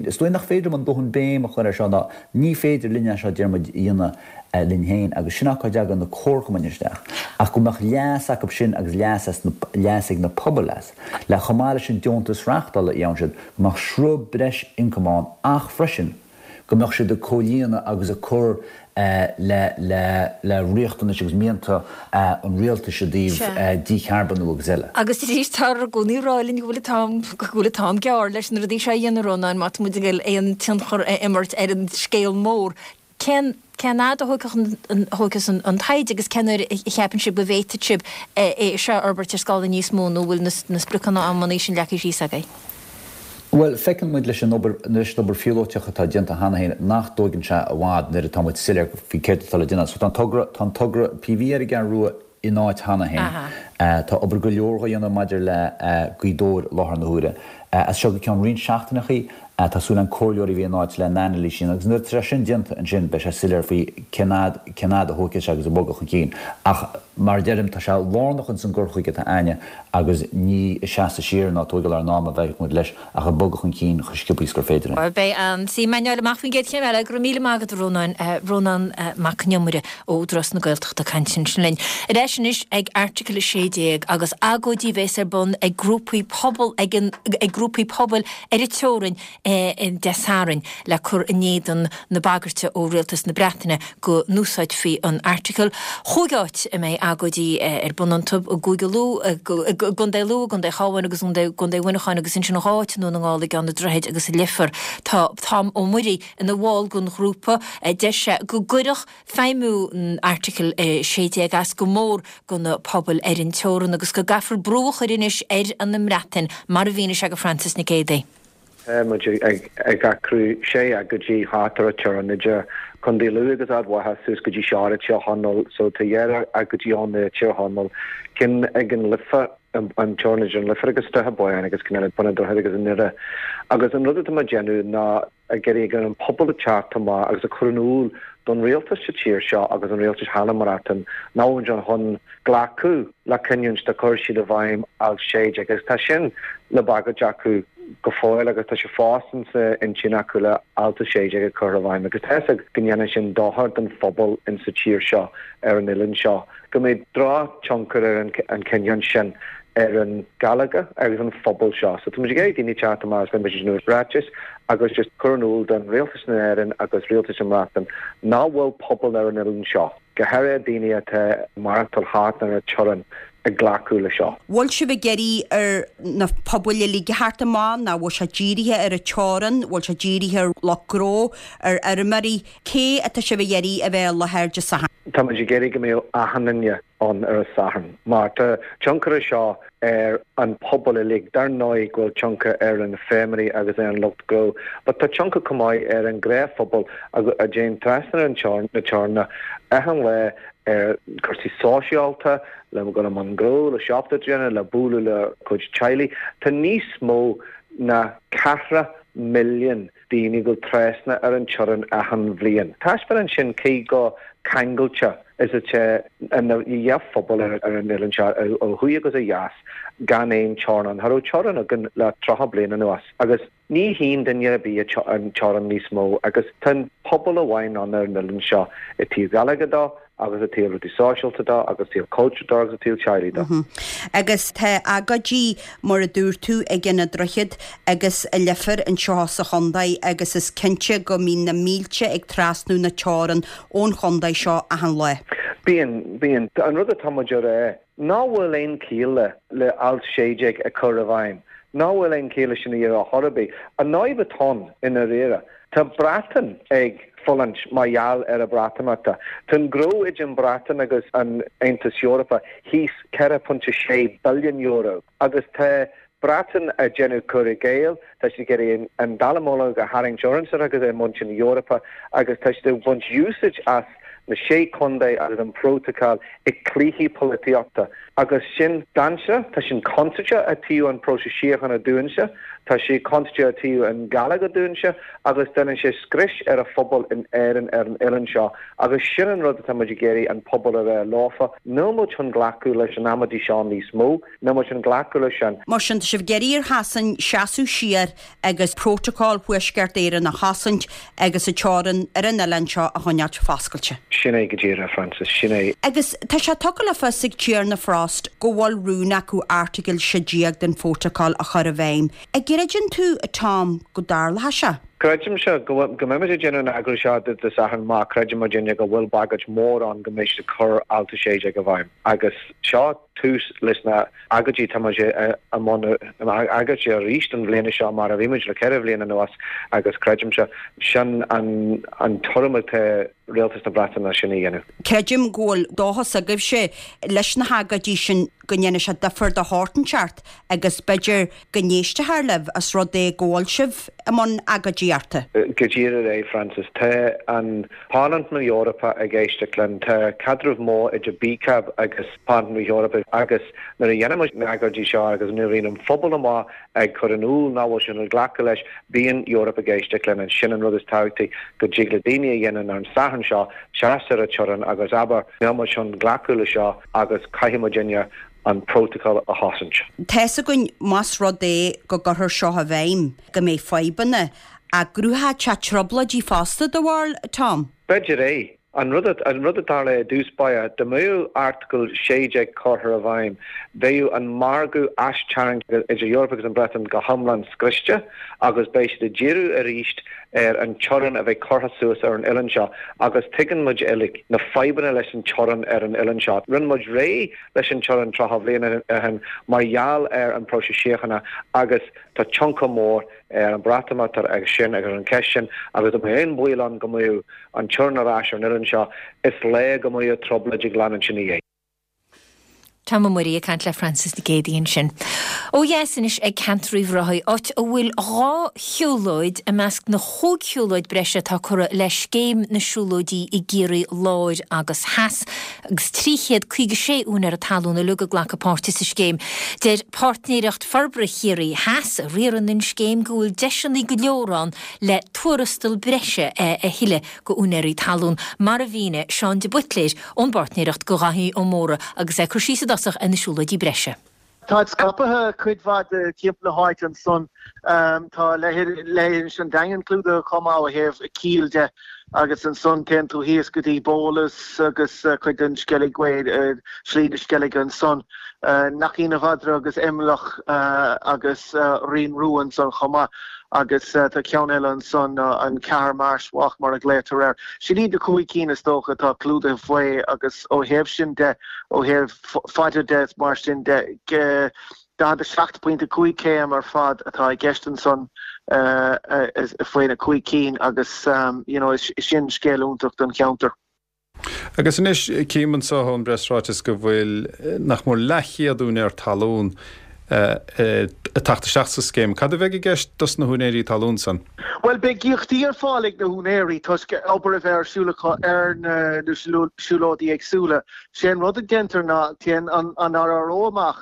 Speaker 8: is dóigh nach féidir liom an dóthain béim a chur ar seo ná ní féidir linn é seo, deir muid, a dhéanamh linn féin agus sin cá dtagann na comharchumainn isteach ach go mbeadh leas acu sin agus leas as na, leas ag na pobail as. Le chomh maith leis an deontas reáchtála a fhaigheann siad, go mbeadh sruth breis ioncaim ann ach freisin go mbeadh siad ag comhlíonadh agus ag cur le le le riachtanais agus mianta an rialtais i dtaobh dícharbonú agus eile.
Speaker 1: Agus arís, táthar i gcónaí ag rá linn go bhfuil an t-am, go bhfuil an t-am gearr leis na rudaí seo a dhéanamh, Rónán, má tá muid ag dul aon tionchar a imirt ar an scéal mór. Cén cén fhad a thógfas an taighde agus cén uair a cheapann sibh go bhféadfaidh sibh é seo a fhorbairt ar scála níos mó nó bhfuil na spriocanna amanna sin leagtha síos agaibh?
Speaker 8: Bhuel, feiceann muid leis an obair, leis an obair phíolóiteach atá déanta cheana féin nach dtóigeann sé i bhfad nuair atá muid soiléir faoi céard atá le déanamh. So tá an togra, tá an togra PV ar an gCeathrú Rua in áit cheana féin. Tá obair go leor dhá dhéanamh maidir le Gaoth Dobhair i láthair na huaire. As seo go ceann roinnt seachtaineachaí, tá súil againn comhairleoirí a bheith in áit le n-anailís a dhéanamh agus nuair atá sé sin déanta ansin beidh sé soiléir faoi cén fhad, cén fhad a thógfaidh sé agus ag bogadh chun cinn. Ach mar a deirim, tá sé lárnach ins an gcur chuige atá a'inne agus ní ag seasamh siar ná tóigeáil ár n-am a bheidh muid leis ach ag bogadh chun cinn chomh sciobtha is gur féidir linn.
Speaker 1: Bhuel, beidh an suim a'inn fháil amach faoin gcéad chéim eile. Go raibh míle maith agat, a Rónáin. Rónán Mac Con Iomaire ó Údarás na Gaeltachta ag caint ansin linn. Ar ais anois ag Airteagal 16 agus agóidí a bhéas ar bun ag grúpaí pobal ag an ag grúpaí pobail ar an teorainn Dé Sathairn le cur in éadan na bagairte ó Rialtas na Breataine go n-úsáidfí an Airteagal. Chúig áit a mbeidh agóidí ar bun iontu, i gCúige Lú, i gContae Lú, i gContae Chabháin agus i gContae Mhuineacháin agus ansin dhá áit i nDún na nGall, i gCeann an Droichid agus i Leifear. Tá Tom Ó Muirí ina bhall den ghrúpa. Deir sé go gcuirfeadh feidhmiú an Airteagail 16 as go mór do na pobail ar an teorann agus go gcaithfear brú a chur anois ar an mBreatain, mar a mhínigh sé go Frances Nic Géadaigh.
Speaker 9: Tá muid ag eagrú sé agóidí thart ar an teorainn idir Contae Lú agus Ard Mhacha suas go dtí Sord i Tír Chonaill. So tá dhá agóidí ann i Tír Chonaill, ceann ag an Life. an teorainn idir an Leifear agus Droichead Báin agus Ceann Bun an Droichid agus i nDoire. Agus an rud atá muid ag déanamh ná ag iarraidh ar an pobal a teacht amach agus a chur in iúl don rialtas sa tír seo agus an rialtas thall i mBreatain nach bhfuil muid chun glacadh le cinniúint do chuir siad i bhfeidhm Alt 16 agus tá sin le bagairt acu go fóill agus tá sé fós insa intinn acu le Alt 16 a chur i bhfeidhm agus tá fhios ag go ndéanann sin dochar don phobal insa tír seo ar an oileán seo go mbeidh drochthionchar ar an cinniúint sin ar an Ghaeilge agus an phobal seo. So tá muid ag iarraidh daoine teacht amach agus beidh muid ag déanamh ráiteas agus just cur in iúl don Rialtas na hÉireann agus Rialtas na mBreatain nach bhfuil pobal ar an oileán seo, go háirithe daoine atá ag maireachtáil thart ar an teorainn, ag glacadh le seo.
Speaker 10: Bhfuil sibh ag iarraidh ar na pobail uilig a theacht amach nó bhfuil sé dírithe ar an teorainn, bhfuil sé dírithe ar lucht gnó, ar fheirmeoirí? Cé atá sibh ag iarraidh a bheith i láthair Dé Sathairn?
Speaker 9: Tá muid ag iarraidh go mbeadh achan duine ann ar an Satharn mar tá tionchar ag seo ar an pobal uilig. Dar ndóigh go bhfuil tionchar ar na feirmeoirí agus ar an lucht gnó but tá tionchar chomh maith ar an ghnáthphobal a dtéann trasna ar an na teoranna achan lá ar cúrsaí sóisialta, le dul i mbun gnó, le siopa a dhéanamh, le bualadh le cuid teaghlaigh. Tá níos mó ná ceathracha milliún daoine ag dul trasna ar an teorainn achan bhliain. Taispeánann sin cé chomh ceangailte is atá an dhá phobal ar an oileán seo, ó thuaidh agus ó dheas, gan aon teorainn ann. Cha raibh teorainn againn le 30 bliain anuas agus ní shuíonn duine ar bith an teorainn níos mó agus tá an pobal amháin ann ar an oileán seo i dtaobh Gaeilge dó, agus i dtaobh rudaí sóisialta de agus i dtaobh cultúr de agus i dtaobh teaghlaigh
Speaker 10: de. Agus tá agóidí, mar a dúirt tú, ag an Droichead agus i Leifear anseo sa chontae agus is cinnte go mbíonn na mílte ag trasnú na teorann ón chontae seo achan lá.
Speaker 9: Bíonn, bíonn. An rud atá muid a rá Ná bhfuil aon chiall le alt 16 a chur i bhfeidhm. Ná bhfuil aon chiall leis sin a dhéanamh ar chor ar bith. An fhadhb atá ann i ndáiríre, tá Breatain ag fulaingt mar gheall ar an Breatimeacht. Tá an gnó idir an Bhreatain agus an Aontas Eorpach thíos €4.6 billiún agus tá Breatain ag déanamh cur i gcéill, tá siad ag iarraidh an dallamullóg a tharraingt orainne agus ar mhuintir na hEorpa agus tá siad ag baint úsáid as na Sé Chontae agus an Prótacal i cluichí polaitíochta agus sin dainséarach, tá sin contúirteach ó thaobh an próiseas síochána dúinnse, tá sé contúirteach ó thaobh an Ghaeilge dúinnse agus déanann sé scrios ar an phobal in Éirinn ar an oileán seo agus sin an rud atá muid ag iarraidh an pobal a rá leofa, níl muid chun glacadh leis an amaidí seo níos mó. Níl muid chun glacadh leis sin.
Speaker 10: Mar sin, tá sibh ag iarraidh ar Shasain seasamh siar agus Prótacal Thuaisceart Éireann a chosaint agus an teorainn ar an oileán seo a choinneáilt foscailte.
Speaker 9: Sin é go díreach, a Frances, sin é.
Speaker 10: Agus tá sé tugtha le fios ag Tiarna Frost go bhfuil rún acu Airteagal 16 den Phrótacal a chur i bhfeidhm. An gcreideann tú, a Tom, go dtarlóidh sé?
Speaker 9: Creidimse go mbeimid ag déanamh an agóid seo Dé Sathairn má creideann muidinne go bhfuil bagairt mhór ann go mbeidh siad ag cur Alt 16 i bhfeidhm. Agus seo tús leis na agóidí. Tá muid i mbun agóidí arís an bhliana seo mar a bhí muid le ceithre bhliain anuas agus creidimse sin an tuairim atá Rialtas na Breataine sin a dhéanamh.
Speaker 10: Creidim go bhfuil dóchas agaibhse leis na hagóidí sin go ndéanfaidh sé difear do shórt inteacht agus b'fhéidir go n-éistfear libh os rud é go bhfuil sibh i mbun agóidíochta.
Speaker 9: Go díreach é, Frances. Tá an Parlaimint na hEorpa ag éisteacht linn. Tá caidreamh mór idir BCAB agus Parlaimint na hEorpa agus nuair a dhéanann muid na agóidí seo agus nuair a bhíonn an phobal amuigh ag cur in iúl nach bhfuil siad ag glacadh leis, bíonn Europe ag éisteacht linn. And sin an rud is tábhachtaí go dtig le daoine a dhéanamh ar an Satharn seo, seasamh ar an teorainn agus abair, níl muid chun glacadh le seo agus caithfidh muidinne an prótacal a chosaint.
Speaker 10: Tá's againn más rud é go gcuirfear seo i bhfeidhm go mbeidh fadhbanna, ach go gcruthódh sé trioblóidí fosta, do bharúil, Tom?
Speaker 9: B'fhéidir é. An rud an rud a tharla i dtús báire, dá mbeadh Airteagal 16 curtha i bhfeidhm, bheadh an margadh aistarraingthe idir Eoraip agus an Bhreatain go hiomlán scriosta agus beidh siad ag díriú arís ar an teorainn a bheidh curtha suas ar an oileán seo agus tuigeann muid uilig na fadhbanna leis an teorainn ar an oileán seo. Rinne muid réidh leis an teorainn 30 bhliain ó shin mar gheall ar an próiseas síochána agus tá tionchar mór ar an Bhreatimeacht agus sin agus ar an cheist sin agus dá mbeadh aon bhaol ann go mbeadh an teorainn ar ais ar an oileán seo is léir go mbeadh trioblóid ag leanúint ina dhiaidh.
Speaker 1: Tom Ó Muirí ag caint le Frances Nic Géadaigh ansin. Ó dheas anois ag ceantar Uíbh Ráthaigh, áit a bhfuil 2 shiúlóid i measc na chúig shiúlóid breise atá curtha le Scéim na Siúlóidí i gCiarraí Láir agus Theas, agus 356 úinéara talún uilig ag glacadh páirte sa scéim. Deir Páirtnéireacht Forbartha Chiarraí Theas, a riarann an scéim, go bhfuil deiseanna go leor ann le tuarastal breise a thuilleadh go úinéirí talún, mar a mhínigh Seán de Buitléir, ón bpáirtnéireacht go Dhaithí Ó Mórdha agus é ag cur síos i dtosach ar na siúlóidí breise.
Speaker 11: Táid scaipthe cuid mhaith timpeall na háite ansan. Tá leithinis an Daingin clúdaithe chomh maith ó thaobh Cill de agus ansan téann tú thíos go dtí Bólas agus cuid den Sceilg Way, Slí na Sceilge ansan, Neaichín a' Mhadra agus Imleach agus Rinn Rua ansan chomh maith. Agus tá ceann eile ansan, an Cahermarsh Walk mar a ghlaotar air. Sin iad na chúig cinn is dócha atá clúdaithe faoi agus ó thaobh sin de, ó thaobh faide de is mar sin de, 47.5 km ar fad atá i gceist ansan faoi na cúig cinn agus you know sin scéal iontach don cheantar.
Speaker 12: Agus anois, cím anseo ón bpreasráiteas go bhfuil nach mór leathchéad úinéir talún ag teacht isteach sa scéim. Cad a bheidh i gceist dos na húinéirí talún san?
Speaker 11: Bhuel, beidh íocaíochtaí ar fáil ag na húinéirí toisc obair a bheith ar siúl acu ar na siúlóidí éagsúla. Sé an rud a deintear ná téann an RRO amach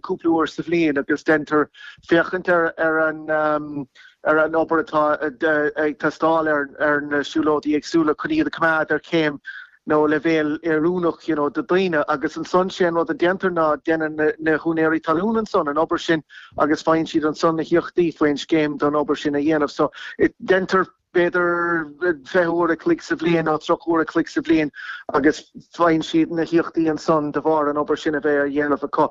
Speaker 11: cúpla uair sa bhliain agus deintear féachaint ar an ar an obair atá ag teastáil ar na siúlóidí éagsúla chun iad a choimeád ar chéim nó leibhéal oiriúnach you know do daoine agus ansan sé an rud a déantar ná déanann na húinéirí talún ansan an obair sin agus faigheann siad ansan na híocaíochtaí faoin scéim don obair sin a dhéanamh. So deintear b'fhéidir 20 uair a chloig sa bhliain nó 30 uair a chloig sa bhliain agus faigheann siad na híocaíochtaí ansan de bharr an obair sin a bheith ar dhéanamh acu.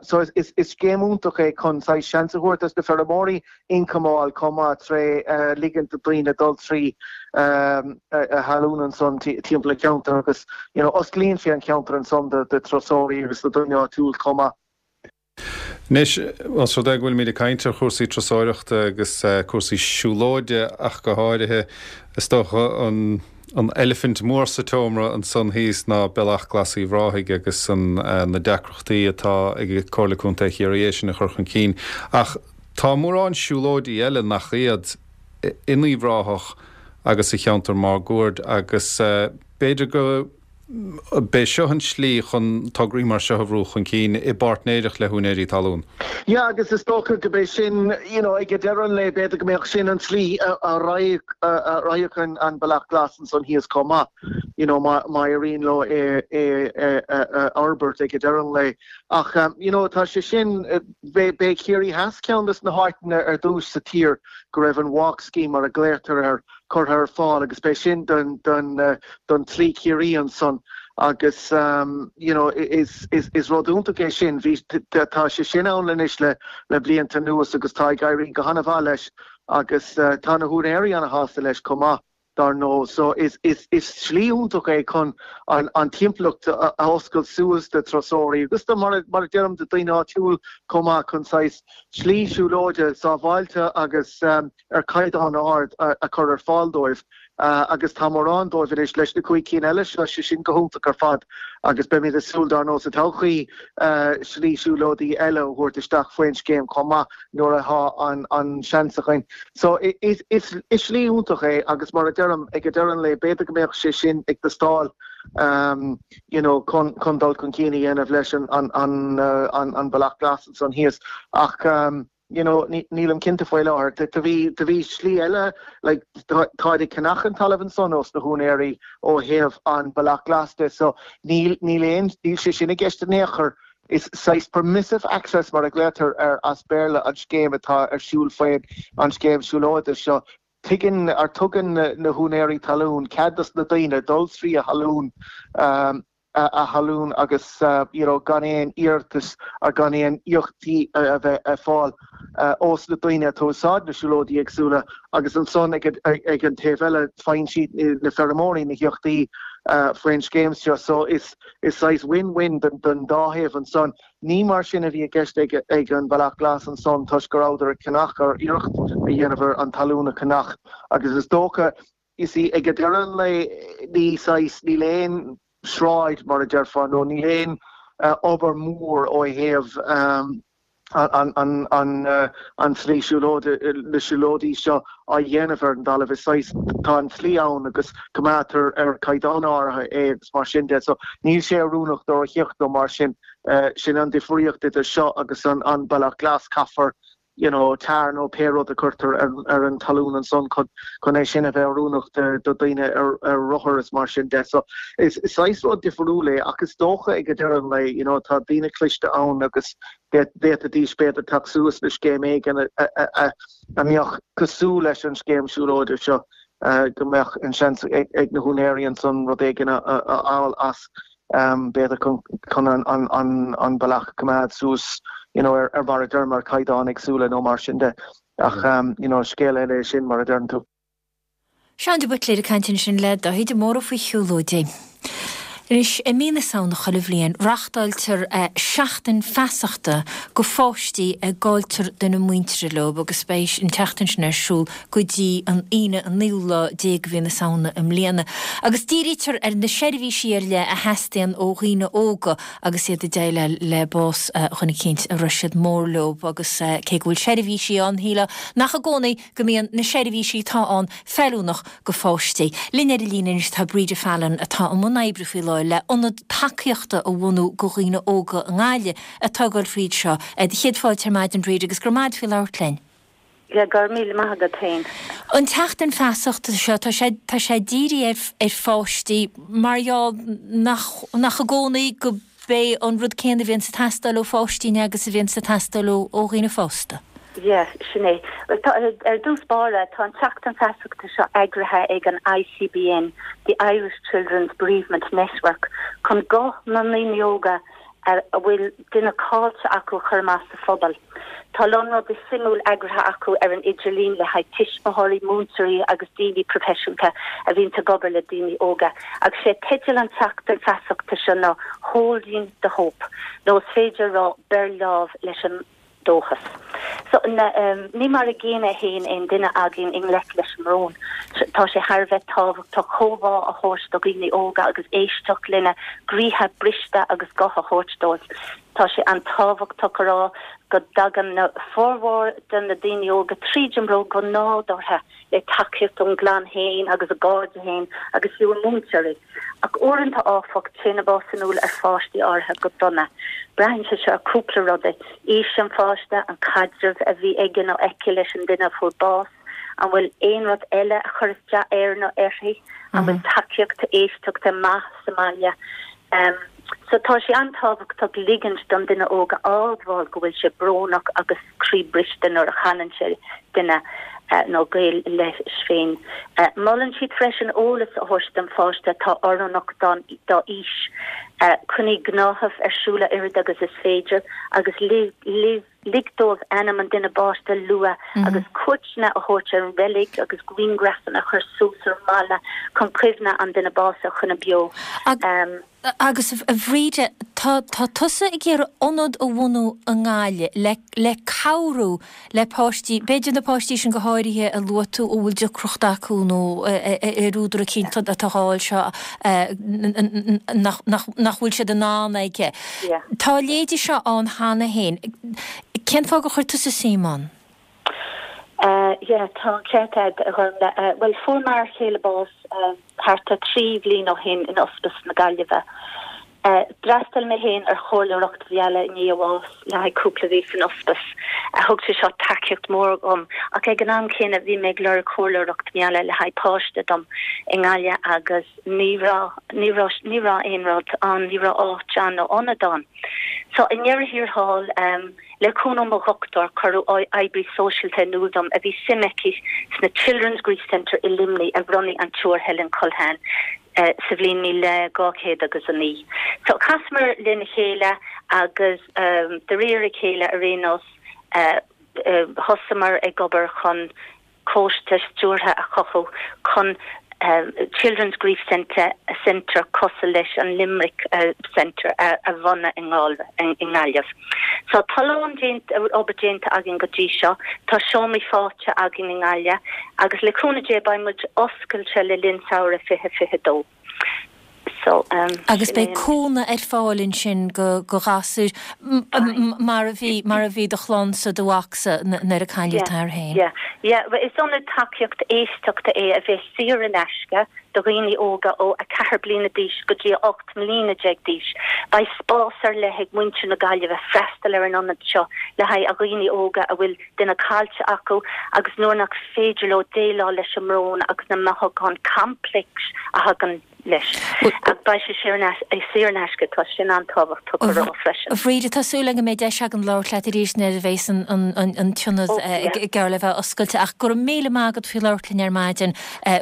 Speaker 11: So is scéim iontach é chun saghas seans a thabhairt dos na feirmeoirí ioncam a fháil chomh maith tré ligint do daoine dul trí a thalún ansan timpeall an cheantair agus you know osclaíonn sé an ceantar ansan do turasóirí agus do daoine áitiúil chomh maith.
Speaker 12: Anois, ós rud é go bhfuilimid ag caint ar chúrsaí turasóireachta agus cúrsaí siúlóide ach go háirithe, is dócha an an eilifint mhór sa tseomra ansan thíos ná Bealach Glas Uíbh Ráthaigh agus an na deacrachtaí atá ag Comhairle Contae Chiarraí é sin a chur chun cinn. Ach tá mórán siúlóidí eile nach iad in Uíbh Ráthach agus sa cheantar máguaird agus b'fhéidir go b'é seo an tslí chun tograí mar seo a bhrú chun cinn i bpáirtnéireacht le húinéirí talún.
Speaker 11: Yeah agus is dócha go b'é sin, you know, ag deireadh an lae b'fhéidir go mbeadh sin an tslí a raghadh an Bealach Glas ansan thíos chomh maith, you know, má éiríonn leo é a fhorbairt ag deireadh an lae. Ach, you know, tá sé sin, b'é Ciarraí Theas ceann des na háiteanna ar dtús sa tír go raibh an Walk Scheme mar a glaotar air curtha ar fáil agus b'é sin don don tSlí Chiarraí ansan agus you know is is rud iontach é sin. Bhí tá sé sin ann anois le le blianta anuas agus tá ag éirí go han-mhaith leis agus tá na húinéirí ana-shásta leis chomh maith dar ndóigh. So is is is slí iontach é chun an an timpeallacht a oscailt suas do turasóirí agus do mar a mar a deirim do daoine áitiúil chomh maith chun saghas slí siúlóide sábháilte agus ar caighdeán ard a chur ar fáil dóibh agus tá mórán dóibh anois leis na cúig cinn eile seo, sé sin go hiontach ar fad agus beimid ag súil dar ndóigh sa todhchaí slí siúlóidí eile a thabhairt isteach faoin scéim chomh maith nuair atá an seans againn. So is slí iontach é agus mar a deirim ag deireadh an lae b'fhéidir go mbeadh sé sin ag teastáil you know chun dul chun cinn a dhéanamh leis an an Bealach Glas ansan thíos ach you know, nílim cinnte faoi láthair. Do bhí, do bhí slí eile, like, táid ag ceannach an talamh ansan ós na húinéirí ó thaobh an Bealach Glas de, so níl, níl aon, níl sé sin i gceist in aon chor. Is saghas permissive access mar a glaotar air as Béarla an scéim atá ar siúl faoin an scéim siúlóide seo. Tuigeann, or tugann na húinéirí talún cead dos na daoine dul trí a thalún, a thalún agus you know gan aon iarratas or gan aon íocaíochtaí a bheith ag fáil ós na daoine atá ag úsáid na siúlóidí éagsúla agus ansan ag ag an taobh eile faigheann siad na feirmeoirí na híocaíochtaí faoin scéim seo so is is saghas win-win don don dá thaobh ansan. Ní mar sin a bhí i gceist ag ag an Bhealach Glas ansan toisc go rabhadar ag ceannach or iarracht a dhéanamh ar an talún a cheannach agus is dócha You see, ag deireadh an lae, ní saghas, níl aon sráid, mar a déarfá, nó níl aon. obair mhór ó thaobh an tslí siúlóide, na siúlóidí seo á dhéanamh ar an dtalamh. Is saghas, tá an tslí ann agus coimeádtar ar chaighdeán áirithe é agus mar sin de. So níl sé oiriúnach do rothaíocht nó mar sin. Sin an difríocht idir seo agus an Bealach Glas. Caithfear you know tar nó pé rud a cuirtear ar an talún ansan chun chun é sin a bheith oiriúnach do daoine ar ar rothar is mar sin de. So is saghas rud difriúil é ach is dócha ag deireadh an lae you know tá daoine cliste ann agus d'fhéadfaidís b'fhéidir teacht suas le scéim éigin a a a a mbeadh cosúil leis an scéim siúlóide seo go mbeadh an seans ag na húinéirí ansan rud éigin a fháil as b'fhéidir chun an bealach a choimeád suas you know ar mar a deirim ar chaighdeán éagsúla nó mar sin de. Ach you know scéal eile é sin mar a deireann tú.
Speaker 1: Seán de Buitléir ag caint ansin le Dáithí de Mórdha faoi shiúlóidí. Anois, i mí na Samhna chuile bhliain, reachtáiltear seachtain feasachta go pháistí a gcailltear duine muintire leo agus beidh an tseachtain sin ar siúl go dtí an Aoine an naoú lá déag de mhí na Samhna i mbliana, agus dírítear ar na seirbhísí ar leith a theastaíonn ó dhaoine óga agus iad ag déileáil le bás dhuine eicínt a raibh siad mór leo agus cé go bhfuil seirbhísí ann, shílfeá nach i gcónaí go mbíonn na seirbhísí atá ann feiliúnach go pháistí. Linn ar an líne anois tá Bríde Fallon atá i mbun oibre faoi láthair le ionad tacaíochta a bhunú go dhaoine óga i nGaillimh atá ag dul fríd seo. Do chéad fáilte ar maidin Bríde agus go raibh maith agat faoi labhairt linn.
Speaker 13: Yeah, go raibh míle maith agat féin.
Speaker 1: An tseachtain feasachta seo, tá sé, tá sé dírithe ar, ar pháistí mar gheall nach, nach i gcónaí go b'é an rud céanna a bhíonns ag teastáil ó pháistí ná agus a bhíonns ag teastáil ó, ó dhaoine fásta.
Speaker 13: Yeah, sin é. Bhuel, tá, ar dtús báire, tá an tseachtain feasachta seo eagraithe ag an ICBN, The Irish Children's Bereavement Network, chun guth na ndaoine óga a bhfuil duine caillte acu a chur amach sa phobal. Tá a lán rudaí suimiúil eagraithe acu ar an idirlíon le haghaidh tuismitheoirí, múinteoirí agus daoine proifisiúnta a bhíonns ag obair le daoine óga. Agus sé teideal an tseachtain feasachta seo ná 'Holding the Hope' nó is féidir a rá 'Beir lámh leis an dóchas'. So, ní mar a gcéanna a théann aon duine againn i ngleic leis an mbrón. Tá sé thar a bheith tábhachtach comhbhá a thabhairt do dhaoine óga agus éisteacht lena gcroíthe briste agus guth a thabhairt dóibh. Tá sé an-tábhachtach a rá go dtagann na formhór de na daoine óga tríd an mbrón go nádúrtha le tacaíocht ón gclann féin agus a gcairde féin agus fiú a múinteoirí. Ach uaireanta, áfach, téann an bás in iúl ar pháistí áirithe go dona. Braitheann sé seo ar cúpla rudaí, aois an pháiste, an caidreamh a bhí aige nó aici leis an duine a fuair bás, an bhfuil aon rud eile a chuir isteach air nó uirthi, an bhfuil tacaíocht éisteachta maith sa mbaile. So tá sé an-tábhachtach ligint don duine óg a admháil go bhfuil sé brónach agus croí briste nuair a chailleann sé duine nó gaol leis féin. Molann siad freisin eolas a thabhairt don pháiste atá oiriúnach dá aois. Coinnigh gnáthamh ar siúl a oiread agus is féidir agus lig dóibh ainm an duine báiste a lua agus cuairteanna a thabhairt ar an reilig agus grianghrafanna a chur suas ar an mballa chun cuimhne an duine básaithe a choinneáil beo.
Speaker 1: Agus a Bhríde, tá tá tusa ag iarraidh ionad a bhunú i nGaillimh le le cabhrú le páistí, b'fhéidir na páistí sin go háirithe a luaigh tú a bhfuil deacracht acu nó ar údar eicínt atá á fháil seo nach nach nach bhfuil siad in ann aige. Tá a leithéidí seo ann cheana féin. Cén fáth gur chuir tusa suim ann?
Speaker 13: Yeah, tá an ceart agat, a Ghormfhlaith. Bhuel, fuair m'fhear chéile bás thart ar 3 bhliain ó shin in Ospís na Gaillimhe. D'fhreastail mé féin ar chomhairleoireacht mheala i ndiaidh a bháis le haghaidh cúpla mhí san ospís. Thug sé seo tacaíocht mhór dhom, ach ag an am céanna bhí mé ag lorg comhairleoireacht meala le haghaidh páiste dom i nGaillimh agus ní raibh, ní raibh, ní raibh aon rud ann, ní raibh áit ann nó ionad ann. So i ndeireadh thiar thall, Le cúnamh ó mo dhochtúir, cuireadh oibrí sóisialta in iúl dom a bhí suim aici sna Children's Grief Centre i Luimnigh a bhunaigh an tSiúr Helen Culhane sa bhliain 1200 agus 9. So chasamar lena chéile agus de réir a chéile ar aon nós thosamar ag obair chun coiste stiúrtha a chothú chun Children's Grief Centre Centre cosúil leis an Limerick Centre a bhunú i nGaillimh. So tá a lán obair déanta againn go dtí seo. Tá seomraí faighte againn i nGaillimh agus le cúnamh Dé beidh muid oscailte le linn samhradh 2022. So, um,
Speaker 1: Agus
Speaker 13: sin é
Speaker 1: beidh
Speaker 13: an.
Speaker 1: cónaí ar fáil ansin go go ghasúir mar a bhí mar a bhí do chlannsa, do mhacsa nuair a cailleadh
Speaker 13: Yeah,
Speaker 1: t'athair féin.
Speaker 13: yeah, yeah. Bhuel, is ionad tacaíocht éisteachta é a bheas saor in aisce do dhaoine óga ó 4 bliana d'aois go dtí 18 mbliana d'aois. Beidh spás ar leith ag muintir na Gaillimhe freastal ar an ionad seo le haghaidh a dhaoine óga a bhfuil duine caillte acu agus nuair nach féidir leo déileáil leis an mbrón agus na mothúcháin complex a thagann leis. Ach beidh sé saor in aisce, tá sin an-tábhachtach a rá freisin.
Speaker 1: A Bhríde, tá súil agam go mbeidh deis agam labhairt leat arís nuair a bheas an t-ionad geall le bheith oscailte ach go raibh míle maith agat faoi labhairt linn ar maidin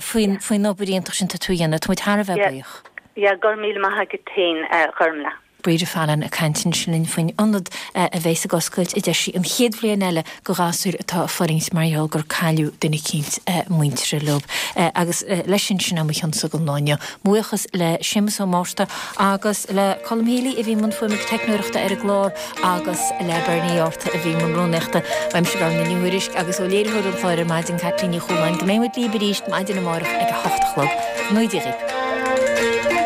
Speaker 1: faoin obair iontach sin atá tú a dhéanamh. Tá muid thar a bheith buíoch.
Speaker 13: Yeah, go raibh míle maith agat féin, a Ghormfhlaith.
Speaker 1: Bríde Fallon ag caint ansin linn faoin ionad a bheas ag oscailt, a deir sí, an chéad bhliain eile do ghasúir atá ag fulaingt mar gheall gur cailleadh duine eicínt muinteartha leo. Agus leis sin, sin é mo chionsa don lá inniu. Mo bhuíochas le Séamus Ó Márta agus le Colm Healy a bhí i mbun fuaime agus teicneoireachta ar an gclár agus le Bernie Arthur a bhí i mbun rúnaíochta. Uaimse Gormfhlaith Ní Thuairisg agus ó léiritheoir an chláir ar maidin, Caitlín Ní Chualáin, go mbeidh muid libh arís maidin amárach ag a hocht a chlog. Go ngnóthaí Dia dhaoibh.